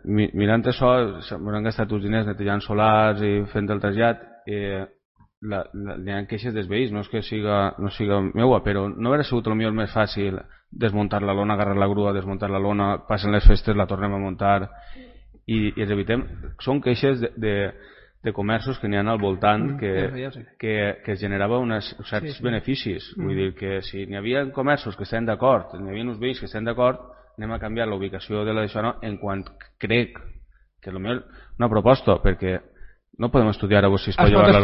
mirant això, s'han gastat uns diners netejant solars i fent el trasllat. Hi ha queixes dels veïns, no és que no siga meua, però no hauria sigut el millor més fàcil desmuntar la lona, agarrar la grua, desmuntar la lona, passen les festes, la tornem a muntar i ens evitem. Són queixes de comerços que n'hi ha al voltant que generava uns certs beneficis. Vull dir que si n'hi havia comerços que estan d'acord, n'hi havia uns veïns que estan d'acord, anem a canviar la ubicació de l'això, no? En quant crec que potser una proposta, perquè no podem estudiar a si es pot llevar la